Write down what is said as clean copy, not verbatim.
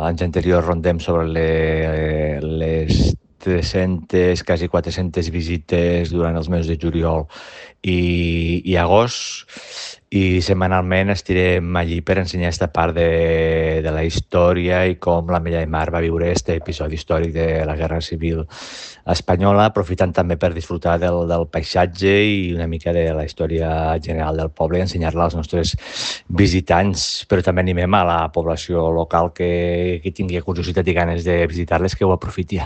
anys anteriors rondem sobre les 300, quasi 400 visites durant els mesos de juliol i agost, i setmanalment estirem allí per ensenyar aquesta part de la història i com la Mella de Mar va viure aquest episodi històric de la Guerra Civil Espanyola, aprofitant també per disfrutar del paisatge i una mica de la història general del poble i ensenyar-la als nostres visitants, però també animem a la població local que tingui curiositat i ganes de visitar-les que ho aprofiti.